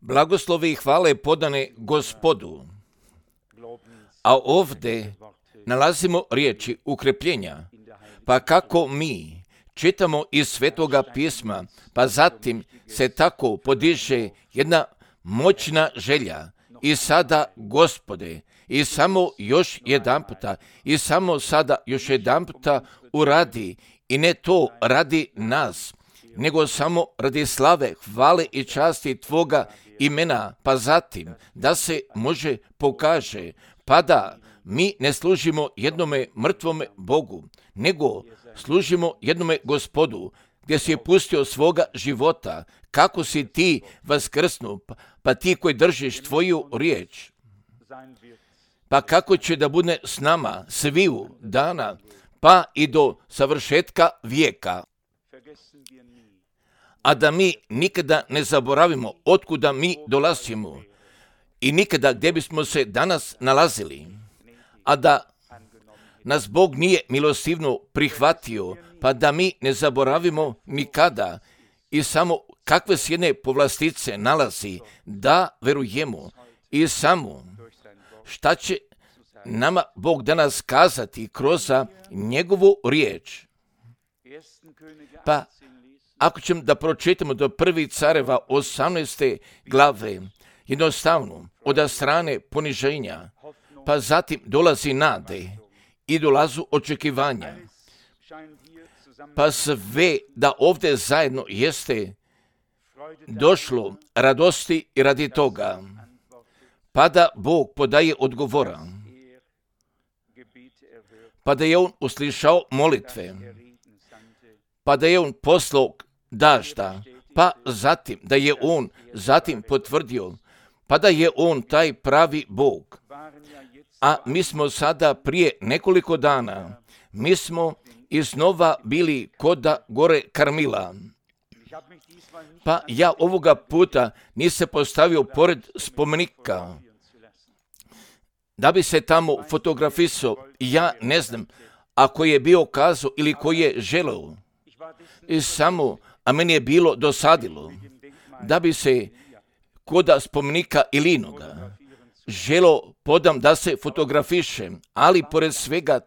Blagoslovi i hvale podane Gospodu. A ovdje nalazimo riječi ukrepljenja. Pa kako mi čitamo iz Svetoga pisma, pa zatim se tako podiže jedna moćna želja. I sada, Gospode, i samo još jedanputa, i samo sada još jedanputa uradi, i ne to radi nas, nego samo radi slave, hvale i časti Tvoga imena, pa zatim da se može pokaže, pa da mi ne služimo jednome mrtvome Bogu, nego služimo jednome Gospodu, gdje si je pustio svoga života, kako si ti vaskrsnu, pa ti koji držiš Tvoju riječ, pa kako će da bude s nama sviju dana, pa i do savršetka vijeka. A da mi nikada ne zaboravimo otkuda mi dolazimo i nikada gdje bismo se danas nalazili, a da nas Bog nije milostivno prihvatio, pa da mi ne zaboravimo nikada i samo kakve se jedne povlastice nalazi, da verujemo i samo šta će nama Bog danas kazati kroz njegovu riječ. Pa ako ćemo da pročitamo do 1. Careva 18. glave, jednostavno od strane poniženja, pa zatim dolazi nade i dolazu očekivanja, pa sve da ovdje zajedno jeste došlo radosti i radi toga, pa da Bog podaje odgovora, pa da je on uslišao molitve, pa da je on poslao dažda, pa zatim da je on zatim potvrdio, pa da je on taj pravi Bog. A mi smo sada prije nekoliko dana, mi smo iznova bili kod gore Karmila. Pa ja ovoga puta nisam postavio pored spomenika, da bi se tamo fotografisao, ja ne znam, ako je bio kazao ili ko je želeo. I samo, a meni je bilo dosadilo, da bi se kod spomenika Ilinoga želo podam da se fotografišem, ali pored svega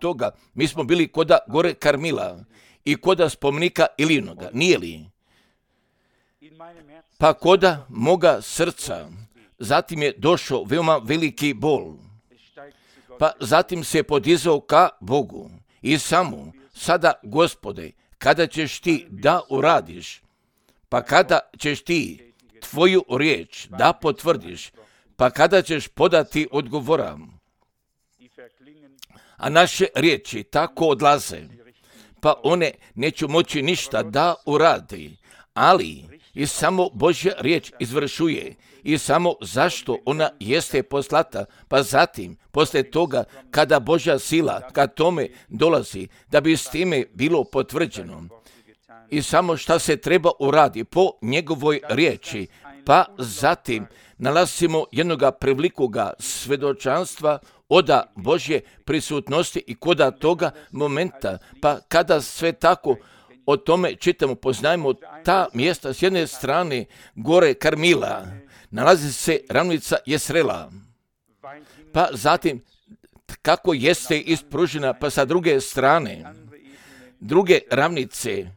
toga, mi smo bili kod gore Karmila i kod spomenika Ilinoga, nije li? Pa kod moga srca, zatim je došao veoma veliki bol, pa zatim se podizao ka Bogu i samo, sada Gospode, kada ćeš ti da uradiš, pa kada ćeš ti Tvoju riječ da potvrdiš, pa kada ćeš podati odgovora. A naše riječi tako odlaze, pa one neću moći ništa da uradi, ali i samo Božja riječ izvršuje i samo zašto ona jeste poslata, pa zatim, poslije toga, kada Božja sila ka tome dolazi, da bi s time bilo potvrđeno i samo šta se treba uradi po njegovoj riječi, pa zatim nalazimo jednoga prevlikoga svedočanstva od Božje prisutnosti i kod toga momenta, pa kada sve tako o tome čitamo, poznajemo ta mjesta s jedne strane gore Karmila, nalazi se ravnica Jesrela, pa zatim kako jeste ispružena, pa sa druge strane, druge ravnice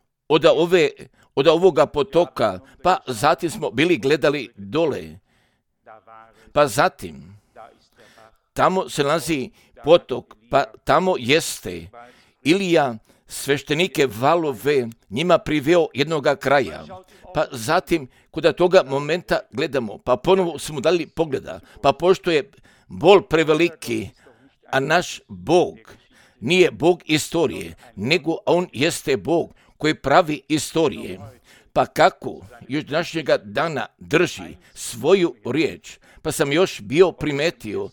od ovoga potoka, pa zatim smo bili gledali dole, pa zatim tamo se nalazi potok, pa tamo jeste Ilija sveštenike valove njima priveo jednoga kraja, pa zatim kod toga momenta gledamo, pa ponovo smo dali pogleda, pa pošto je bol preveliki, a naš Bog nije Bog istorije, nego on jeste Bog koji pravi istorije, pa kako još današnjega dana drži svoju riječ, pa sam još bio primetio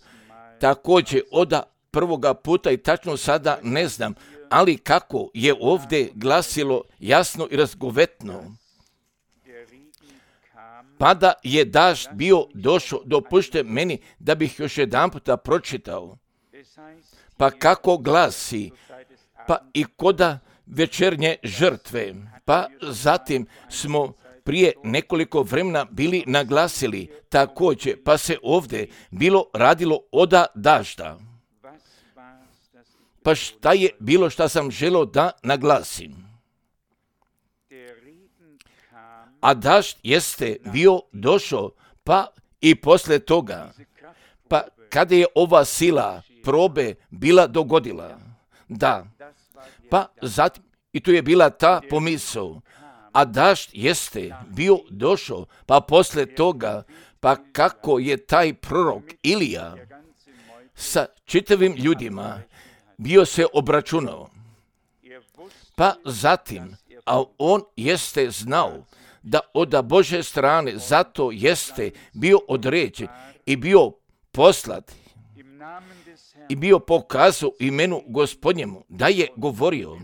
također od prvoga puta i tačno sada ne znam, ali kako je ovdje glasilo jasno i razgovetno, pa da je dažd bio došao, dopušte meni da bih još jedan puta pročitao, pa kako glasi, pa i koda večernje žrtve, pa zatim smo prije nekoliko vremena bili naglasili također, pa se ovdje bilo radilo oda dažda. Pa šta je bilo što sam želio da naglasim? A dažd jeste bio došao, pa i poslije toga, pa kada je ova sila probe bila dogodila, da, pa zatim, i tu je bila ta pomisao, a dažd jeste bio došao, pa poslije toga, pa kako je taj prorok Ilija sa čitavim ljudima bio se obračunao, pa zatim, a on jeste znao da od Božje strane zato jeste bio određen i bio poslat i bio pokazao imenu Gospodnjemu da je govorio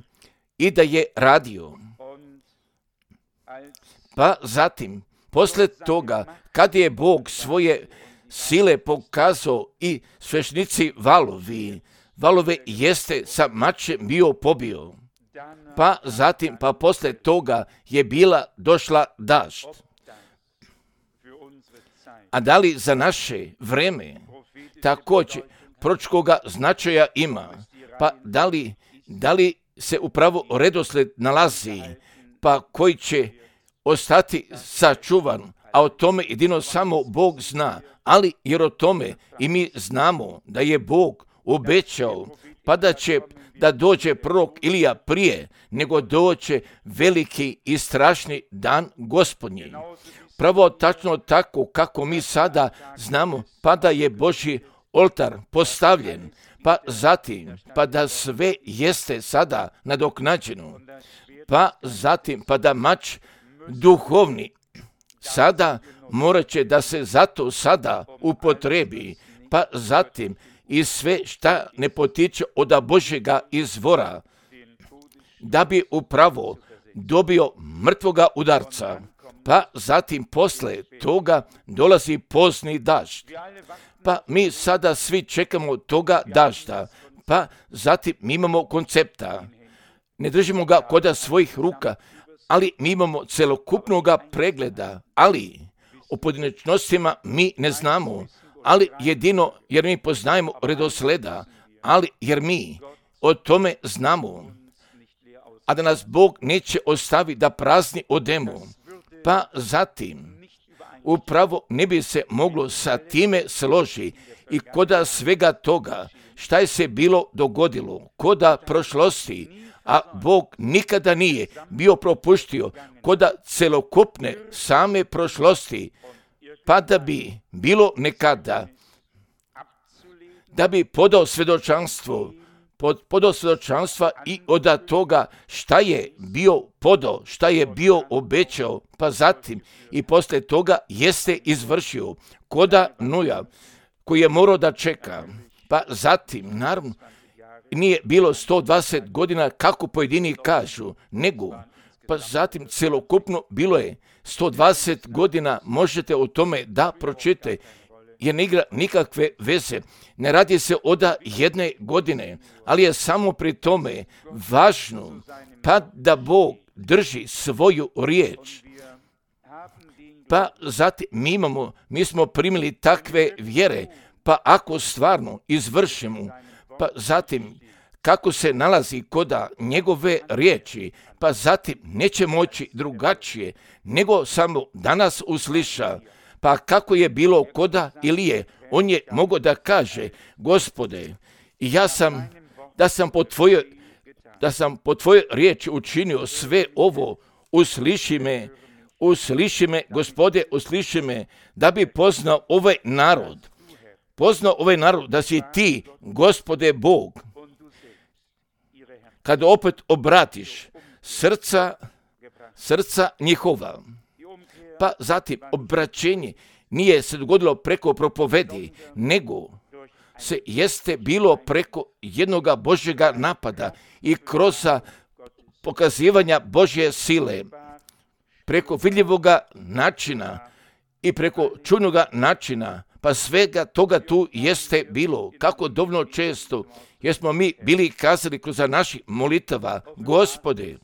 i da je radio. Pa zatim, poslije toga, kad je Bog svoje sile pokazao i svešnici valove jeste sa mačem bio pobio. Pa zatim, pa poslije toga je bila došla dažd. A da li za naše vreme također proročkoga značaja ima? Pa da li se upravo redoslijed nalazi, pa koji će ostati sačuvan, a o tome jedino samo Bog zna, ali jer o tome i mi znamo da je Bog obećao, pa da dođe prorok Ilija prije nego dođe veliki i strašni dan Gospodnji. Pravo tačno tako kako mi sada znamo, pa da je Božji oltar postavljen, pa zatim, pa da sve jeste sada nadoknađeno, pa zatim, pa da mač duhovni sada morat će da se zato sada upotrebi, pa zatim i sve šta ne potiče od Božjega izvora, da bi upravo dobio mrtvoga udarca, pa zatim posle toga dolazi pozni dažd. Pa mi sada svi čekamo toga dažda, pa zatim mi imamo koncepta. Ne držimo ga kod svojih ruka, ali mi imamo celokupnog pregleda, ali o pojedinačnostima mi ne znamo, ali jedino jer mi poznajemo redosleda, ali jer mi o tome znamo, a da nas Bog neće ostaviti da prazni odemo, pa zatim upravo ne bi se moglo sa time složi i koda svega toga šta je se bilo dogodilo, koda prošlosti, a Bog nikada nije bio propuštio koda celokupne same prošlosti, pa da bi bilo nekada, da bi podao svjedočanstva i od toga šta je bio podao, šta je bio obećao, pa zatim i poslije toga jeste izvršio koda Nuja, koji je morao da čeka, pa zatim, naravno, nije bilo 120 godina kako pojedini kažu, nego, pa zatim celokupno bilo je 120 godina, možete o tome da pročitate, jer ne igra nikakve veze. Ne radi se od jedne godine, ali je samo pri tome važno, pa da Bog drži svoju riječ. Pa zatim mi smo primili takve vjere, pa ako stvarno izvršimo, pa zatim kako se nalazi koda njegove riječi, pa zatim neće moći drugačije, nego samo danas usliša. Pa kako je bilo koda Ilije, on je mogao da kaže, Gospode, da sam po tvojoj riječi učinio sve ovo, usliši me, Gospode, usliši me, da bi poznao ovaj narod, da si ti, Gospode Bog. Kad opet obratiš srca njihova, pa zatim obraćenje nije se dogodilo preko propovedi, nego se jeste bilo preko jednoga Božjega napada i kroz pokazivanja Božje sile, preko vidljivoga načina i preko čujnoga načina, pa svega toga tu jeste bilo, kako dovoljno često, jer smo mi bili kazali kroz naših molitava, Gospode,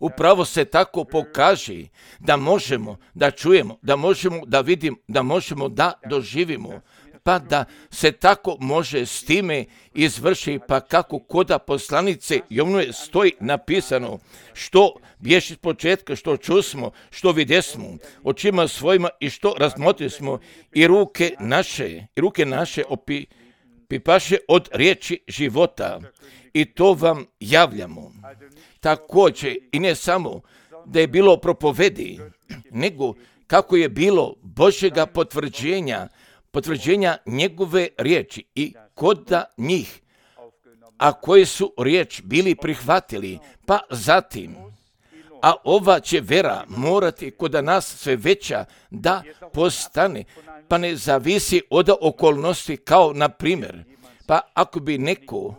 upravo se tako pokaže da možemo da čujemo, da možemo da vidimo, da možemo da doživimo, pa da se tako može s time izvrši, pa kako koda poslanice Jovnove stoji napisano, što bješi s početka, što čusmo, što vidjesmo, očima svojima i što razmotrismo i ruke naše pipaše od riječi života i to vam javljamo. Također i ne samo da je bilo propovedi, nego kako je bilo Božjega potvrđenja njegove riječi i koda njih, a koji su riječ bili prihvatili, pa zatim, a ova će vera morati koda nas sve veća da postane, pa ne zavisi od okolnosti kao na primjer, pa ako bi neko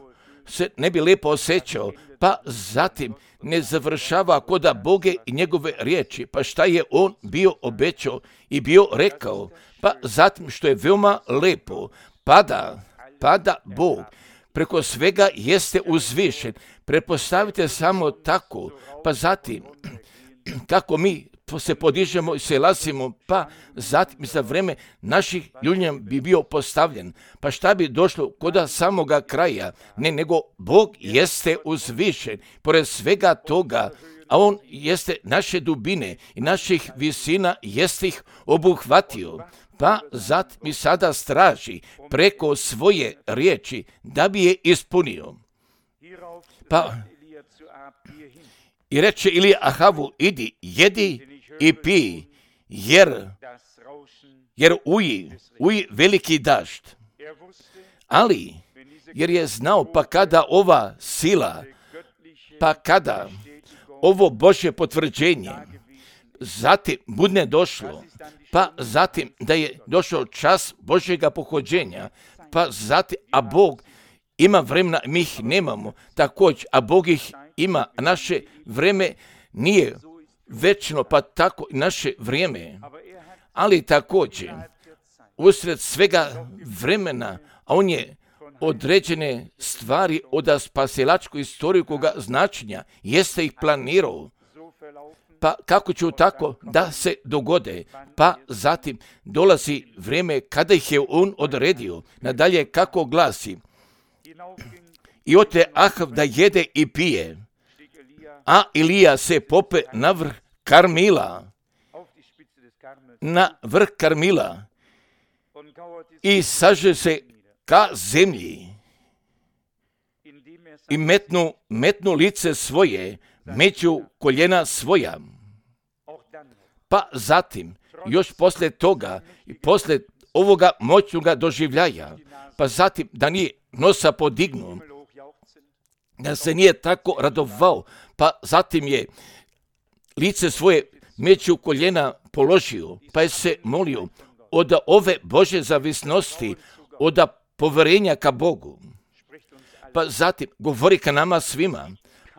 se ne bi lijepo osjećao, pa zatim ne završava koda Boge i njegove riječi, pa šta je on bio obećao i bio rekao, pa zatim što je veoma lijepo, pada Bog, preko svega jeste uzvišen, pretpostavite samo tako, pa zatim kako mi se podižemo i se lasimo, pa zatim za vreme naših ljudnja bi bio postavljen, pa šta bi došlo koda samoga kraja, ne, nego Bog jeste uzvišen, pored svega toga, a on jeste naše dubine i naših visina jeste ih obuhvatio, pa zatim i sada straži preko svoje riječi da bi je ispunio. Pa i reče Ilija Ahavu, idi, jedi i pij, jer uji veliki dašt. Ali, jer je znao, pa kada ova sila, pa kada ovo Božje potvrđenje, zatim budne došlo, pa zatim da je došao čas Božjega pohođenja, pa zatim, a Bog ima vremena, mi ih nemamo, također, a Bog ih ima, a naše vrijeme nije večno, pa tako i naše vrijeme, ali također, usred svega vremena, a on je određene stvari od spasilačku istoriju koga značenja, jeste ih planirao, pa kako će tako da se dogode, pa zatim dolazi vrijeme kada ih je on odredio, nadalje kako glasi, i ote Ahav da jede i pije, a Ilija se pope na vrh Karmila, i saže se ka zemlji i metnu lice svoje među koljena svoja. Pa zatim, još poslije toga i poslije ovoga moćnoga doživljaja, pa zatim da nije nosa podignuo, da se nije tako radovao, pa zatim je lice svoje među koljena položio, pa je se molio od ove Božje zavisnosti, od poverenja ka Bogu. Pa zatim govori ka nama svima,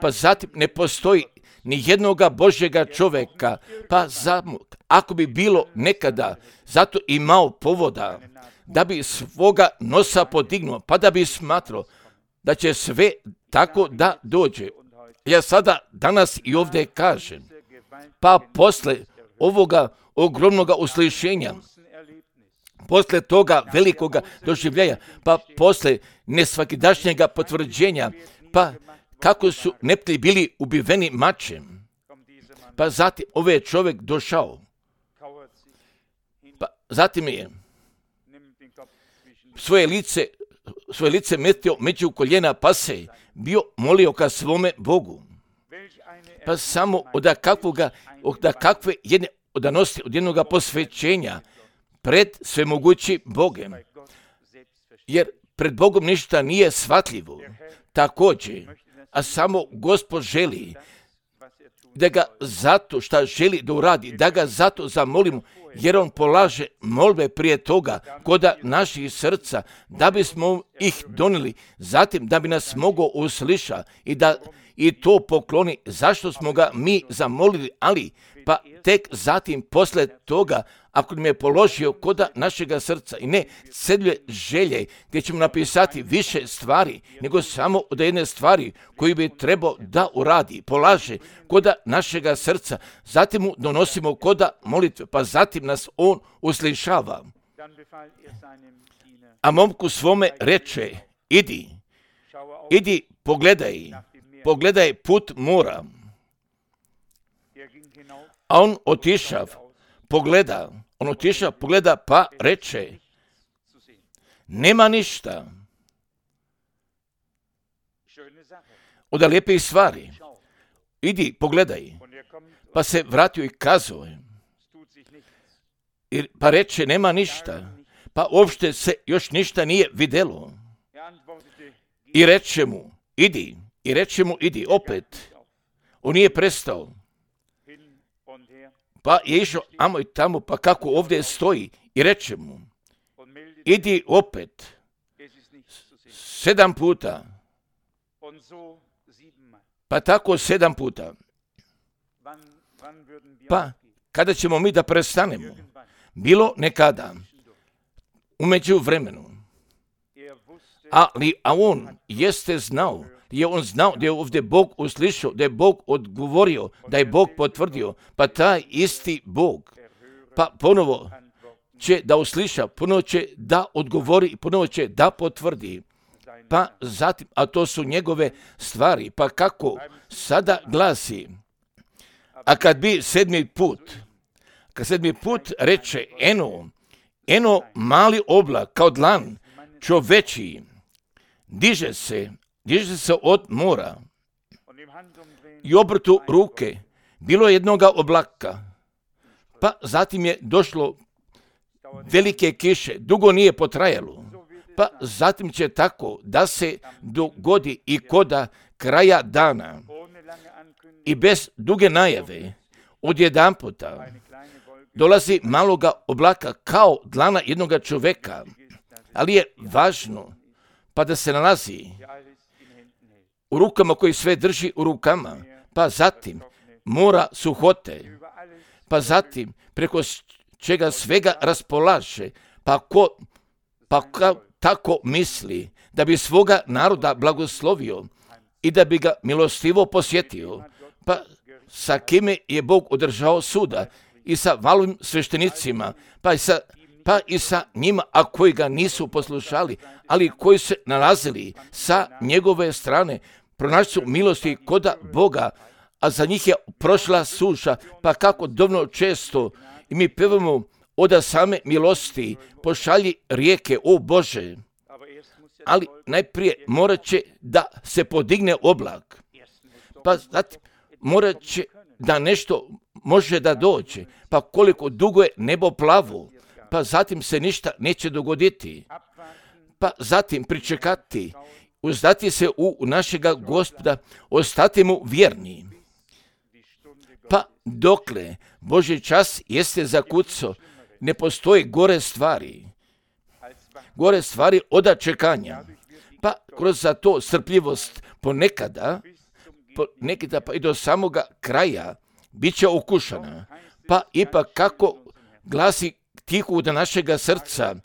pa zatim ne postoji ni jednoga Božjega čovjeka, pa ako bi bilo nekada zato imao povoda da bi svoga nosa podignuo, pa da bi smatrao da će sve tako da dođe. Ja sada danas i ovdje kažem, pa posle ovoga ogromnoga uslišenja, posle toga velikoga doživljaja, pa posle nesvakidašnjega potvrđenja, pa kako su neprijatelji bili ubiveni mačem, pa zatim ovaj čovjek došao, pa zatim je svoje lice metio među koljena, pa se bio molio ka svome Bogu. Pa samo od jednog posvećenja pred svemogući Bogem. Jer pred Bogom ništa nije shvatljivo. Također, a samo Gospod želi da ga zato šta želi da uradi, da ga zato zamolimo, jer on polaže molbe prije toga koda naših srca, da bismo ih donijeli, zatim da bi nas mogao usliša i to pokloni zašto smo ga mi zamolili, ali pa tek zatim posle toga, ako nam je položio koda našega srca i ne cedlje želje gdje ćemo napisati više stvari, nego samo od jedne stvari koju bi trebao da uradi, polaže koda našega srca, zatim mu donosimo koda molitve, pa zatim nas on uslišava. A momku svome reče, idi, pogledaj put mora. A on otišav, pogleda, pa reče, nema ništa. Od lijepih stvari. Idi, pogledaj. Pa se vratio i kazao, pa reče, nema ništa. Pa uopšte se još ništa nije videlo. I reče mu, idi, opet. On nije prestao. Pa je išao amo i tamo, pa kako ovdje stoji, i reče mu, idi opet, 7 puta, pa tako 7 puta. Pa kada ćemo mi da prestanemo? Bilo nekada, u međuvremenu. A on jeste znao, da je ovdje Bog uslišao, da je Bog odgovorio, da je Bog potvrdio, pa taj isti Bog, pa ponovo će da usliša, ponovo će da odgovori i ponovo će da potvrdi. Pa zatim, a to su njegove stvari, pa kako sada glasi, a kad bi 7. put reče, eno mali oblak kao dlan čoveči, diže se od mora i obrtu ruke, bilo je jednoga oblaka, pa zatim je došlo velike kiše, dugo nije potrajalo, pa zatim će tako da se dogodi i koda kraja dana i bez duge najave odjedanputa dolazi maloga oblaka kao dlana jednoga čoveka, ali je važno pa da se nalazi u rukama koji sve drži u rukama, pa zatim mora suhote, pa zatim preko čega svega raspolaže, pa tako misli da bi svoga naroda blagoslovio i da bi ga milostivo posjetio, pa sa kime je Bog održao suda i sa valovim sveštenicima, pa i sa njima, a koji ga nisu poslušali, ali koji se nalazili sa njegove strane, pronašli su milosti koda Boga, a za njih je prošla suša, pa kako dovoljno često i mi pevamo oda same milosti, pošalji rijeke, o Bože. Ali najprije morat će da se podigne oblak, pa zatim morat će da nešto može da dođe, pa koliko dugo je nebo plavo, pa zatim se ništa neće dogoditi, pa zatim pričekati, uzdati se u našega Gospoda, ostati mu vjerni. Pa dokle Božji čas jeste zakucao, ne postoji gore stvari oda čekanja, pa kroz za to strpljivost ponekada pa i do samoga kraja bit će okušana, pa ipak kako glasi tihu do našega srca,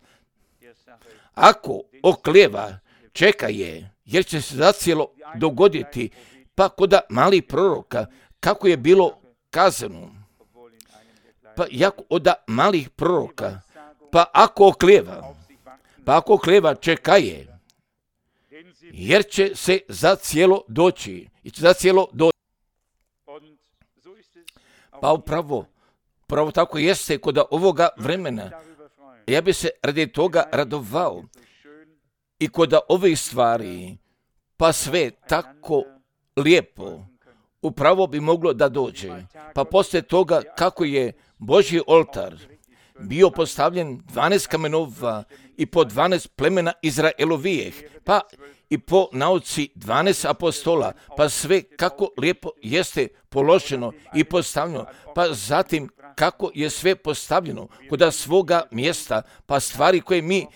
ako oklijeva, čeka je, jer će se zacijelo dogoditi, pa koda malih proroka, kako je bilo kazano, pa jako oda malih proroka, pa ako oklijeva, čeka je, jer će se zacijelo doći. Pa upravo tako jeste kod ovoga vremena. Ja bi se radi toga radovao i kod ovih stvari, pa sve tako lijepo, upravo bi moglo da dođe. Pa poslije toga kako je Božji oltar bio postavljen 12 kamenova i po 12 plemena Izraelovijeh, pa i po nauci 12 apostola, pa sve kako lijepo jeste položeno i postavljeno, pa zatim kako je sve postavljeno kod svoga mjesta, pa stvari koje mi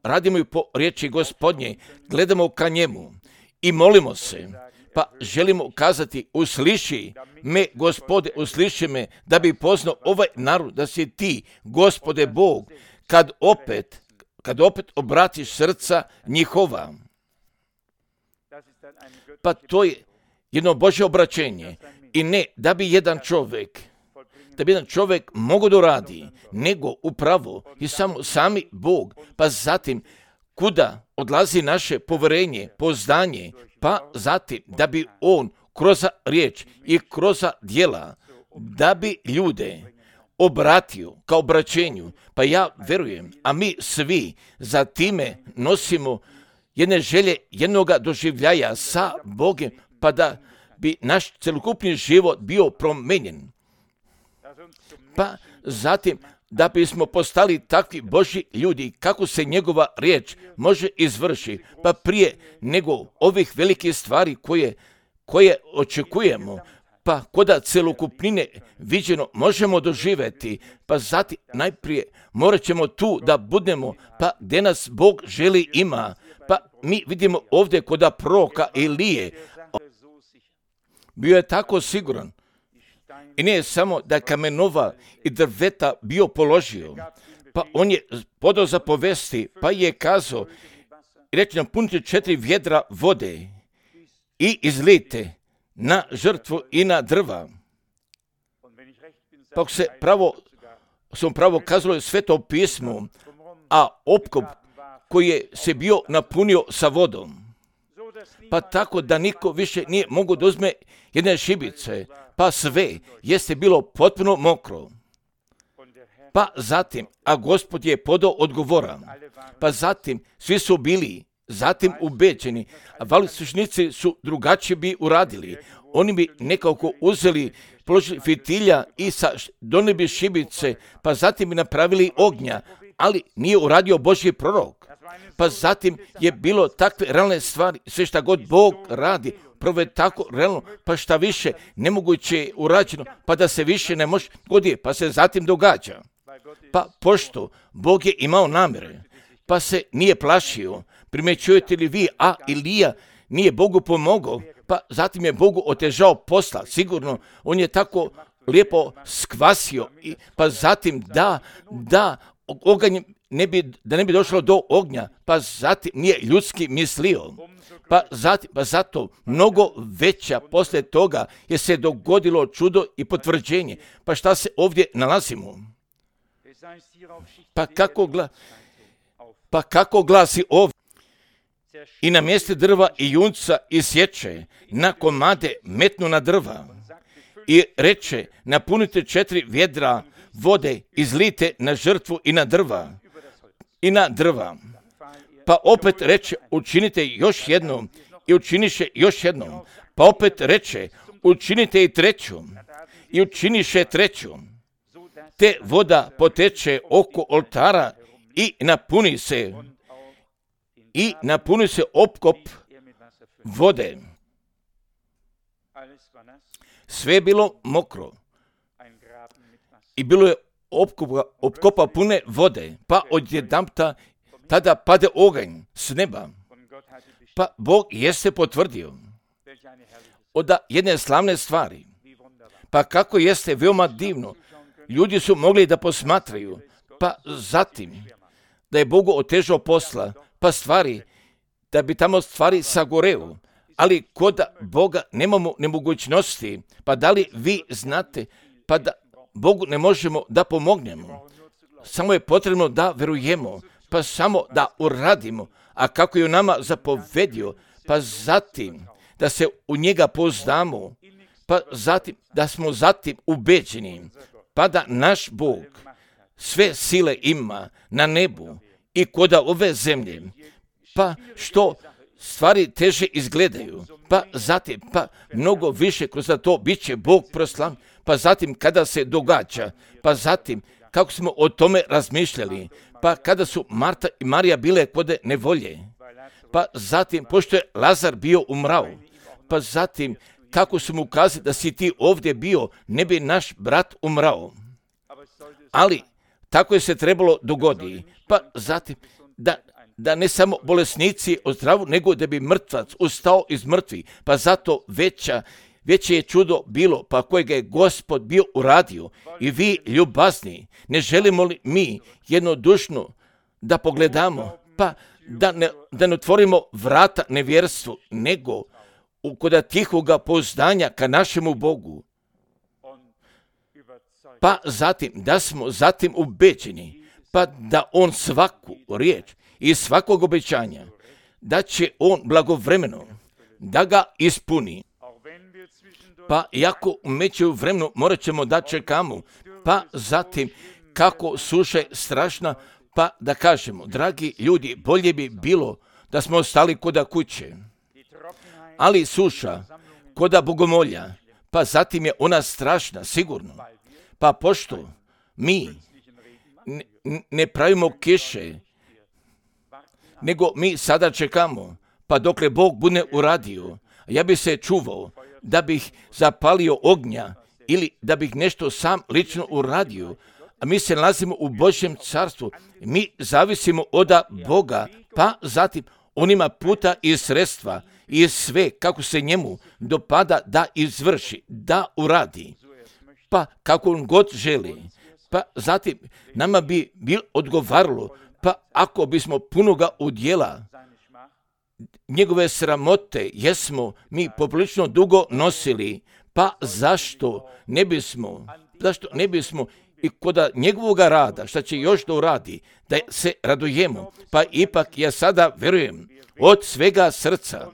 radimo i po riječi Gospodnje, gledamo ka njemu i molimo se, pa želimo kazati, usliši me, Gospode, usliši me, da bi poznao ovaj narod, da si ti, Gospode Bog, kad opet obratiš srca njihova. Pa to je jedno Božje obraćenje. I ne da bi jedan čovjek mogao da radi, nego upravo i sami Bog, pa zatim kuda odlazi naše poverenje, poznanje, pa zatim da bi on kroz riječ i kroz djela, da bi ljude obratio kao obraćenju. Pa ja verujem, a mi svi za time nosimo jedne želje, jednoga doživljaja sa Bogom, pa da bi naš celokupni život bio promenjen. Pa zatim da bismo postali takvi Božji ljudi, kako se njegova riječ može izvršiti, pa prije nego ovih velikih stvari koje očekujemo, pa koda celokupnine viđeno možemo doživjeti, pa zatim najprije morat ćemo tu da budemo, pa gdje nas Bog želi ima. Pa mi vidimo ovdje koda proroka Elije, bio je tako siguran. I nije samo da kamenova i drveta bio položio, pa on je podao za povesti, pa je kazao, reći napunite 4 vjedra vode i izlijte na žrtvu i na drva. Pa sam pravo kazalo Sveto pismo, a opkop koji je se bio napunio sa vodom. Pa tako da niko više nije mogu da uzme jedne šibice, pa sve jeste bilo potpuno mokro. Pa zatim, a Gospod je podao odgovora, pa zatim svi su bili zatim ubeđeni, a valislušnici su drugačije bi uradili. Oni bi nekako uzeli, položili fitilja i donijeli bi šibice, pa zatim bi napravili ognja, ali nije uradio Božji prorok. Pa zatim je bilo takve realne stvari, sve šta god Bog radi, prvo je tako realno, pa šta više nemoguće je urađeno, pa da se više ne može goditi, pa se zatim događa. Pa pošto Bog je imao namjere, pa se nije plašio, primjećujete li vi, a Ilija nije Bogu pomogao, pa zatim je Bogu otežao posla, sigurno, on je tako lijepo skvasio, pa zatim da oganj da ne bi došlo do ognja, pa zatim nije ljudski mislio. Pa zato mnogo veća poslije toga je se dogodilo čudo i potvrđenje. Pa šta se ovdje nalazimo? Pa kako glasi ovdje? I na mjestu drva i junca isječe, na komade metnu na drva i reče, napunite 4 vjedra vode, izlijte na žrtvu i na drva. Pa opet reče, učinite još jednom i učiniše još jednom. Pa opet reče, učinite i treću i učiniše treću. Te voda poteče oko oltara i napuni se opkop vode. Sve je bilo mokro i bilo je opkopa pune vode, pa odjedanputa tada pade oganj s neba. Pa Bog jeste potvrdio od jedne slavne stvari. Pa kako jeste veoma divno, ljudi su mogli da posmatraju, pa zatim da je Bogu otežao posla, pa da bi tamo stvari sagoreo, ali kod Boga nemamo nemogućnosti, pa da li vi znate, pa da Bogu ne možemo da pomognemo, samo je potrebno da verujemo, pa samo da uradimo, a kako je u nama zapovedio, pa zatim da se u njega poznamo, pa zatim da smo zatim ubeđeni, pa da naš Bog sve sile ima na nebu i kod ove zemlje, pa što stvari teže izgledaju, pa zatim, pa mnogo više kroz to bit će Bog proslavljen, pa zatim kada se događa, pa zatim kako smo o tome razmišljali, pa kada su Marta i Marija bile kod nevolje, pa zatim pošto je Lazar bio umrao, pa zatim kako su mu kazali da si ti ovdje bio, ne bi naš brat umrao. Ali tako je se trebalo dogoditi, pa zatim da da ne samo bolesnici ozdravu, nego da bi mrtvac ustao iz mrtvih. Pa zato veće je čudo bilo, pa kojega je Gospod bio uradio. I vi, ljubazni, ne želimo li mi jednodušno da pogledamo, pa da ne otvorimo vrata nevjerstvu, nego kod tihoga pouzdanja ka našemu Bogu. Pa zatim, da smo zatim ubeđeni, pa da on svaku riječ i svakog obećanja, da će on blagovremeno da ga ispuni. Pa iako u međuvremenu morat ćemo da čekamo, pa zatim kako suša je strašna, pa da kažemo, dragi ljudi, bolje bi bilo da smo ostali koda kuće. Ali suša, koda bogomolja, pa zatim je ona strašna, sigurno. Pa pošto mi ne pravimo kiše, nego mi sada čekamo, pa dokle Bog bude uradio, ja bi se čuvao da bih zapalio ognja ili da bih nešto sam lično uradio, a mi se nalazimo u Božjem carstvu, mi zavisimo od Boga, pa zatim on ima puta i sredstva i sve kako se njemu dopada da izvrši, da uradi, pa kako on god želi. Pa zatim nama bi bilo odgovaralo, pa ako bismo punoga udjela njegove sramote jesmo mi poprilično dugo nosili, pa zašto ne bismo i kod njegovoga rada, šta će još da uradi, da se radujemo. Pa ipak ja sada verujem od svega srca,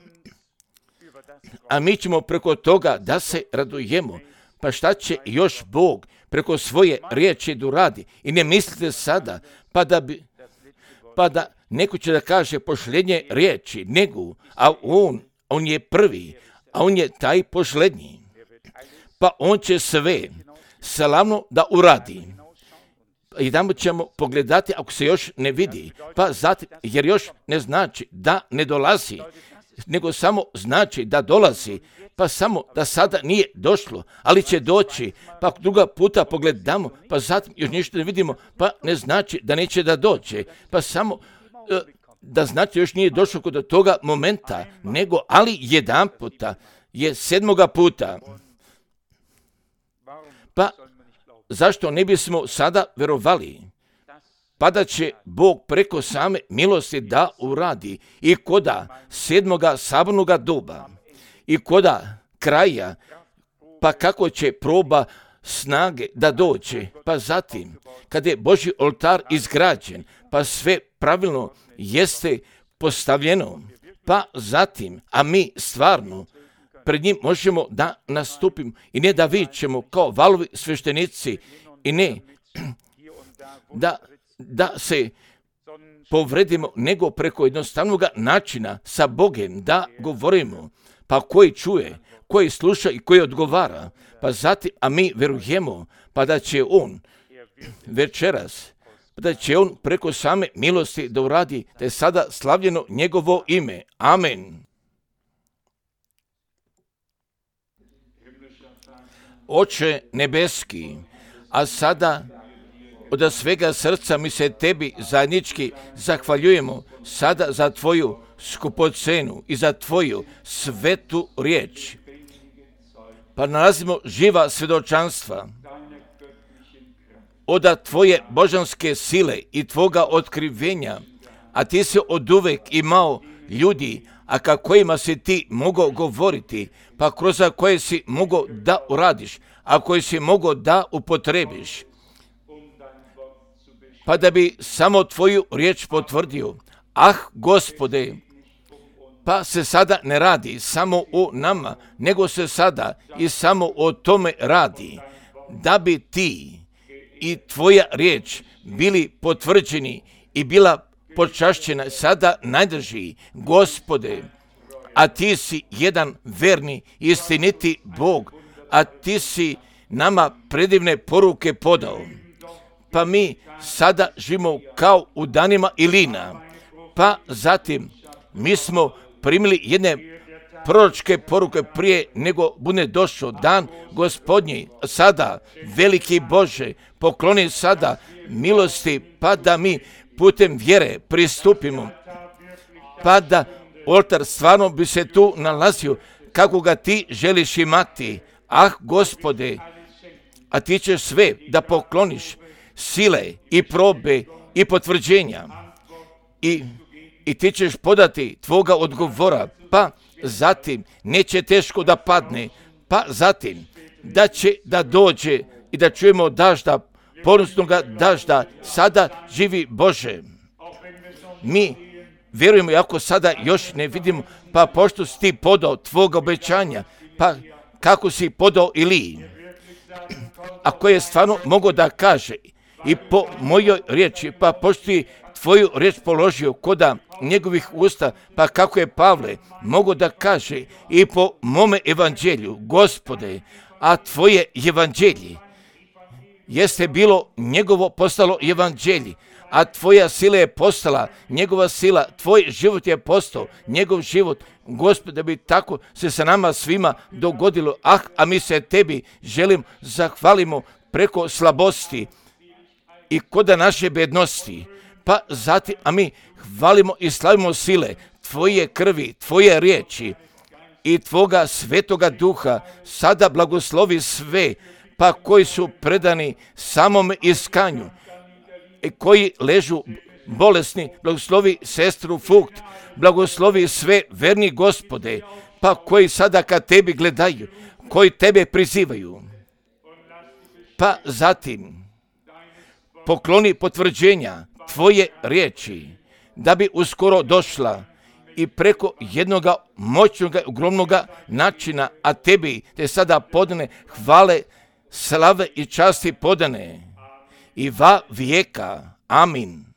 a mi ćemo preko toga da se radujemo. Pa šta će još Bog preko svoje riječi da uradi? I ne mislite sada, pa da neko će da kaže pošlednje riječi, nego, a on je prvi, a on je taj pošlednji. Pa on će sve slavno da uradi. I tamo ćemo pogledati ako se još ne vidi, pa zatim, jer još ne znači da ne dolazi, nego samo znači da dolazi, pa samo da sada nije došlo, ali će doći, pa druga puta pogledamo, pa zatim još ništa ne vidimo, pa ne znači da neće da dođe, pa samo da znači još nije došlo kod toga momenta, nego ali jedan puta je 7. puta. Pa zašto ne bismo sada verovali? Pa da će Bog preko same milosti da uradi i koda 7. sabornoga doba i koda kraja, pa kako će proba snage da dođe, pa zatim kada je Božji oltar izgrađen, pa sve pravilno jeste postavljeno, pa zatim, a mi stvarno pred njim možemo da nastupimo i ne da vičemo kao valovi sveštenici i ne da se povredimo, nego preko jednostavnog načina sa Bogom da govorimo, pa koji čuje, koji sluša i koji odgovara, pa zatim, a mi verujemo, pa da će on večeras, da će on preko same milosti da uradi, da je sada slavljeno njegovo ime. Amen. Oče nebeski, a sada od svega srca mi se tebi zajednički zahvaljujemo sada za tvoju skupocenu i za tvoju svetu riječ. Pa nalazimo živa svjedočanstva od tvoje božanske sile i tvoga otkrivenja, a ti si oduvek imao ljudi, a ka kojima si ti mogao govoriti, pa kroz koje si mogao da uradiš, a koje si mogao da upotrebiš, pa da bi samo tvoju riječ potvrdio. Ah, Gospode, pa se sada ne radi samo o nama, nego se sada i samo o tome radi, da bi ti i tvoja riječ bili potvrđeni i bila počašćena sada najdrži, Gospode, a ti si jedan verni, istiniti Bog, a ti si nama predivne poruke podao. Pa mi sada živimo kao u danima Ilina, pa zatim mi smo primili jedne proročke poruke prije nego bude došao dan Gospodnji. Sada, veliki Bože, pokloni sada milosti, pa da mi putem vjere pristupimo pa da oltar stvarno bi se tu nalazio kako ga ti želiš imati. Ah, Gospode, a ti ćeš sve da pokloniš, sile i probe i potvrđenja i ti ćeš podati tvoga odgovora, pa zatim neće teško da padne, pa zatim da će da dođe i da čujemo dažda, ponosnoga dažda. Sada živi Bože. Mi vjerujemo, ako sada još ne vidimo, pa pošto si ti podao tvoga obećanja, pa kako si podao Iliji, ako je stvarno mogao da kaže i po mojoj riječi, pa pošto ti tvoju riječ položio koda njegovih usta, pa kako je Pavle mogao da kaže i po mome evanđelju, Gospode, a tvoje evanđelje jeste bilo njegovo postalo evanđelje, a tvoja sila je postala njegova sila, tvoj život je postao njegov život. Gospod, da bi tako se sa nama svima dogodilo. A mi se tebi želim zahvalimo preko slabosti i koda naše bednosti. Pa zatim, a mi hvalimo i slavimo sile tvoje krvi, tvoje riječi i tvoga svetoga duha. Sada blagoslovi sve, pa koji su predani samom iskanju i koji ležu bolesni, blagoslovi sestru Fugt, blagoslovi sve verni Gospode, pa koji sada kad tebi gledaju, koji tebe prizivaju. Pa zatim pokloni potvrđenja tvoje riječi, da bi uskoro došla i preko jednoga moćnog, ogromnog načina, a tebi te sada podane hvale, slave i časti podane i va vijeka. Amin.